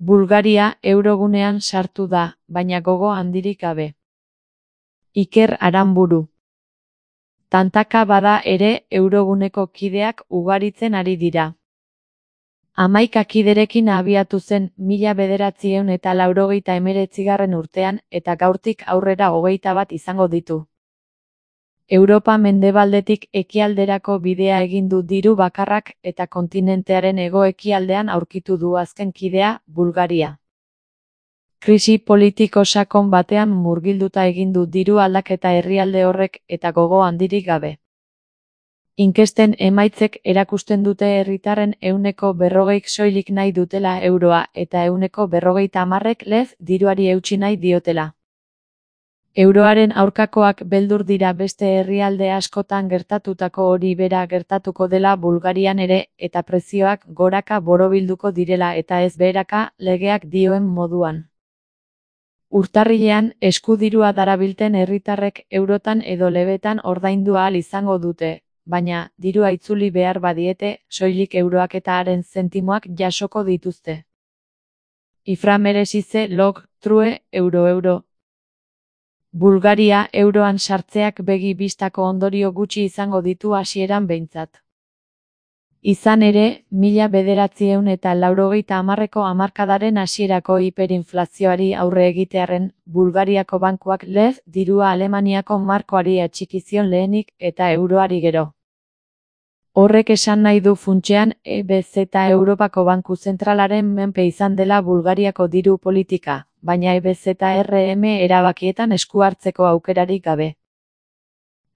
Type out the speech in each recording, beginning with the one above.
Bulgaria eurogunean sartu da, baina gogo handirik gabe. Iker Aranburu. Tantaka bada ere euroguneko kideak ugaritzen ari dira. 11 kiderekin abiatu zen 1989 urtean eta gaurtik aurrera 21 izango ditu. Europa mendebaldetik ekialderako bidea egin du diru bakarrak eta kontinentearen hego-ekialdean aurkitu du azken kidea, Bulgaria. Krisi politiko sakon batean murgilduta egin du diru aldaketa herrialde horrek eta gogo handirik gabe. Inkesten emaitzek erakusten dute herritarren 40%k soilik nahi dutela euroa eta 40%k lez diruari eutsi nahi diotela. Euroaren aurkakoak beldur dira beste herrialde askotan gertatutako hori bera gertatuko dela Bulgarian ere eta prezioak goraka borobilduko direla eta ez beheraka legeak dioen moduan. Urtarrilean eskudirua darabilten herritarrek eurotan edo lebetan ordaindu ahal izango dute, baina dirua itzuli behar badiete, soilik euroak eta haren zentimoak jasoko dituzte. Ifra meresize log, true, euro. Bulgaria euroan sartzeak begi bistako ondorio gutxi izango ditu hasieran behintzat. Izan ere, 1990ko hamarkadaren hasierako hiperinflazioari aurre egitearren, Bulgariako bankuak lez dirua Alemaniako markoari atxikizion lehenik eta euroari gero. Horrek esan nahi du funtsean EBZ Europako Banku Zentralaren menpe izan dela Bulgariako diru politika, baina EBZRM erabakietan esku hartzeko aukerarik gabe.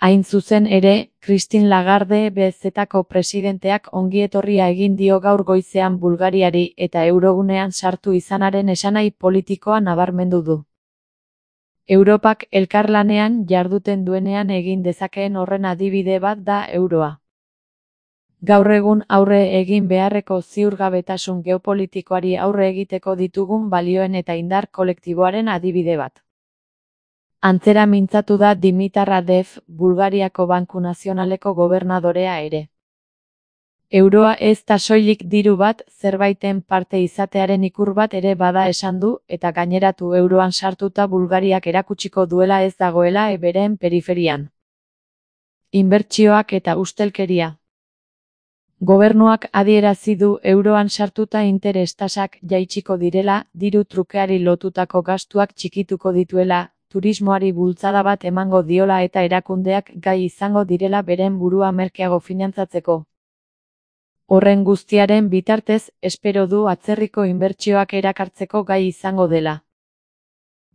Hain zuzen ere, Christine Lagarde EBZko presidenteak ongietorria egin dio gaur goizean Bulgariari eta eurogunean sartu izanaren esanahi politikoa nabarmendu du. Europak elkarlanean jarduten duenean egin dezakeen horren adibide bat da euroa. Gaur egun aurre egin beharreko ziurgabetasun geopolitikoari aurre egiteko ditugun balioen eta indar kolektiboaren adibide bat. Antzera mintzatu da Dimitar Radev, Bulgariako Banku Nazionaleko gobernadorea ere. Euroa ez da soilik diru bat, zerbaiten parte izatearen ikur bat ere bada esan du, eta gaineratu euroan sartuta Bulgariak erakutsiko duela ez dagoela beren periferian. Inbertsioak eta ustelkeria. Gobernuak adierazi du euroan sartuta interes tasak jaitsiko direla, diru trukeari lotutako gastuak txikituko dituela, turismoari bultzada bat emango diola eta erakundeak gai izango direla beren burua merkeago finantzatzeko. Horren guztiaren bitartez, espero du atzerriko inbertsioak erakartzeko gai izango dela.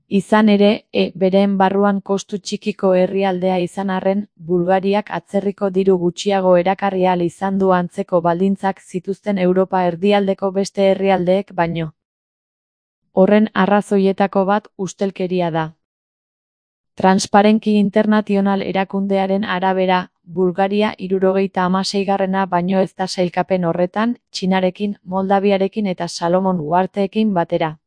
Izan ere, beren barruan kostu txikiko herrialdea izan arren, Bulgariak atzerriko diru gutxiago erakarri ahal izan du antzeko baldintzak zituzten Europa erdialdeko beste herrialdeek baino. Horren arrazoietako bat ustelkeria da. Transparency International erakundearen arabera, Bulgaria 76garrena baino ez da sailkapen horretan, Txinarekin, Moldaviarekin eta Salomon uharteekin batera.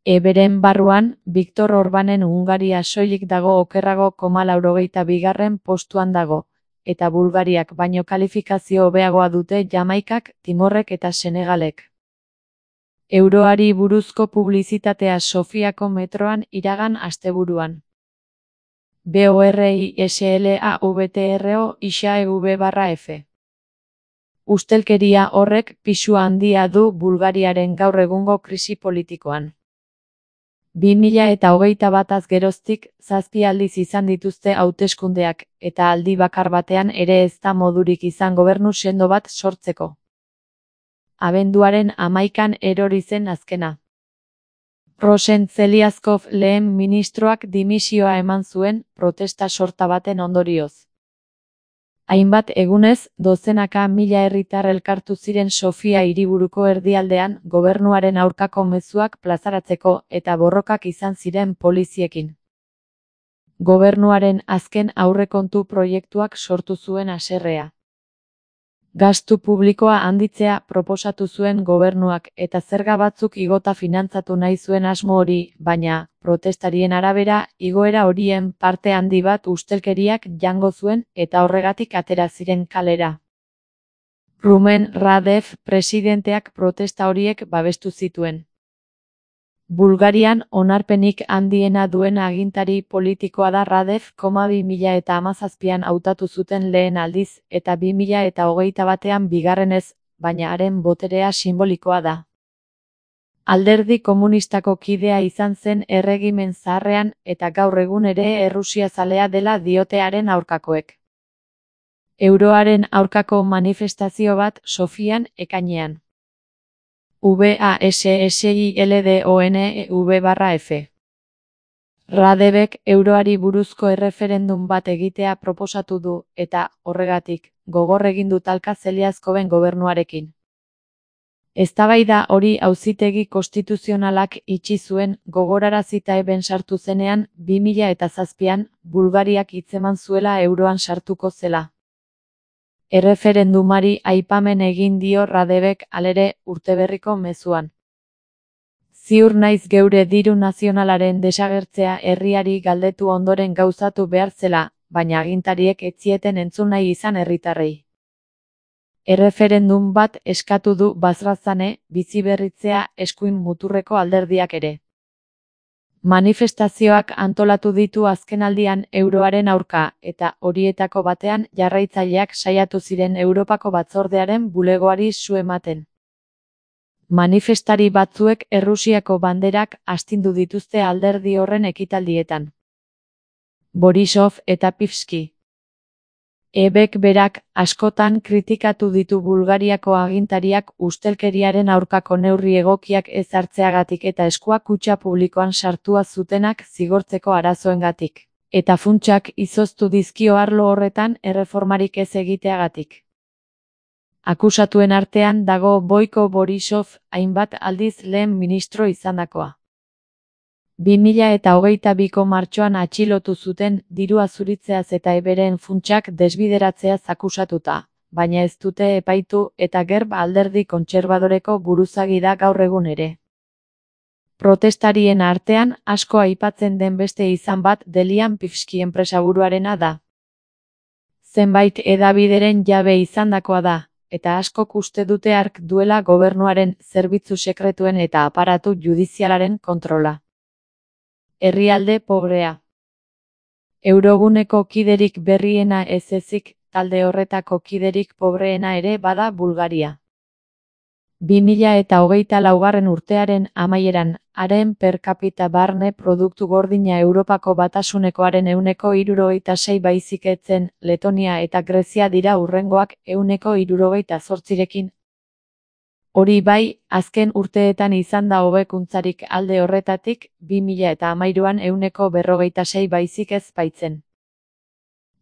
Beren barruan, Viktor Orbanen Hungaria soilik dago okerrago 82garren postuan dago, eta Bulgariak baino kalifikazio hobeagoa dute Jamaikak, Timorrek eta Senegalek. Euroari buruzko publizitatea Sofiako metroan iragan asteburuan. BORISLAVTRO ISAEV/F. Ustelkeria horrek pisu handia du Bulgariaren gaur egungo krisi politikoan. 2021 geroztik 7 aldiz izan dituzte hauteskundeak, eta aldi bakar batean ere ez da modurik izan gobernu sendo bat sortzeko. Abenduaren 11an erori zen azkena. Rosen Zeliazkov lehen ministroak dimisioa eman zuen, protesta sorta baten ondorioz. Hainbat egunez, dozenaka mila herritar elkartu ziren Sofia hiriburuko erdialdean gobernuaren aurkako mezuak plazaratzeko eta borrokak izan ziren poliziekin. Gobernuaren azken aurrekontu proiektuak sortu zuen haserrea. Gastu publikoa handitzea proposatu zuen gobernuak eta zerga batzuk igota finantzatu nahi zuen asmo hori, baina, protestarien arabera, igoera horien parte handi bat ustelkeriak jango zuen eta horregatik atera ziren kalera. Rumen Radev presidenteak protesta horiek babestu zituen. Bulgarian onarpenik handiena duen agintari politikoa da Radev, 2017an hautatu zuten lehen aldiz eta 2021ean bigarrenez, baina haren boterea sinbolikoa da. Alderdi komunistako kidea izan zen erregimen zaharrean eta gaur egun ere errusiazalea dela diote haren aurkakoek. Euroaren aurkako manifestazio bat Sofian ekainean. VASSILDONEV/F. Radebek euroari buruzko erreferendum bat egitea proposatu du eta, horregatik, gogor egin du talka Zeliazkoven gobernuarekin. Eztabaida hori auzitegi konstituzionalak itxi zuen gogorarazita eben sartu zenean 2007an Bulgariak hitzeman zuela euroan sartuko zela. Erreferendumari aipamen egin dio Radebek halere urteberriko mezuan. Ziur naiz geure diru nazionalaren desagertzea herriari galdetu ondoren gauzatu behar zela, baina agintariek ez zieten entzun nahi izan herritarrei. Erreferendum bat eskatu du Bazrazane, biziberritzea eskuin muturreko alderdiak ere. Manifestazioak antolatu ditu azkenaldian euroaren aurka eta horietako batean jarraitzaileak saiatu ziren Europako Batzordearen bulegoari su ematen. Manifestari batzuek Errusiako banderak astindu dituzte alderdi horren ekitaldietan. Borisov eta Pivski. Ebek berak askotan kritikatu ditu Bulgariako agintariak ustelkeriaren aurkako neurri egokiak ez hartzeagatik eta eskuak kutxa publikoan sartua zutenak zigortzeko arazoengatik, eta funtsak izoztu dizkio arlo horretan erreformarik ez egiteagatik. Akusatuen artean dago Boiko Borisov, hainbat aldiz lehen ministro izandakoa. 2022ko martxoan atxilotu zuten dirua zuritzeaz eta eberen funtsak desbideratzeaz akusatuta, baina ez dute epaitu eta Gerb alderdi kontserbadoreko buruzagi da gaur egun ere. Protestarien artean asko aipatzen den beste izan bat Delian Pivski enpresaburuarena da. Zenbait hedabideren jabe izandakoa da, eta askok uste dute hark duela gobernuaren zerbitzu sekretuen eta aparatu judizialaren kontrola. Herrialde pobrea. Euroguneko kiderik berriena ez ezik, talde horretako kiderik pobreena ere bada Bulgaria. 2024 urtearen amaieran, haren per capita barne produktu gordina Europako batasunekoaren 76 baizik ez zen, Letonia eta Grezia dira hurrengoak 78rekin. Hori bai, azken urteetan izan da hobekuntzarik alde horretatik, 2013an 146 baizik ez baitzen.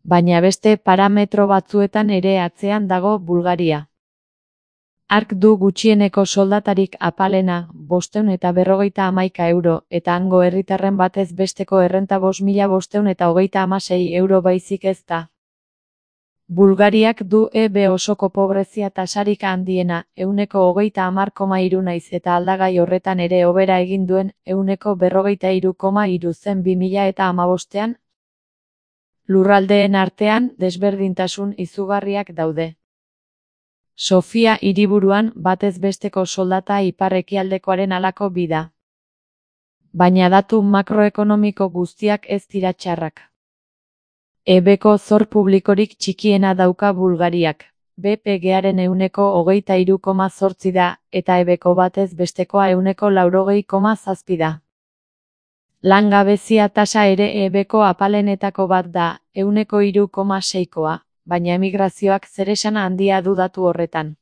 Baina beste parametro batzuetan ere atzean dago Bulgaria. Hark du gutxieneko soldatarik apalena, 551 euro, eta hango herritarren batez besteko errenta 5.536 euro baizik ez da. Bulgariak du EB osoko pobrezia tasarik handiena, 30,3 naiz eta aldagai horretan ere hobera egin duen, 43,3 zen 2015ean. Lurraldeen artean desberdintasun izugarriak daude. Sofia hiriburuan batez besteko soldata ipar-ekialdekoaren halako bida. Baina datu makroekonomiko guztiak ez dira txarrak. EBko zor publikorik txikiena dauka Bulgariak, BPG-aren 23,8 da, eta EBko batez bestekoa 90,7 da. Langabezia tasa ere EBko apalenetako bat da, 3,6koa, baina emigrazioak zeresana handia du datu horretan.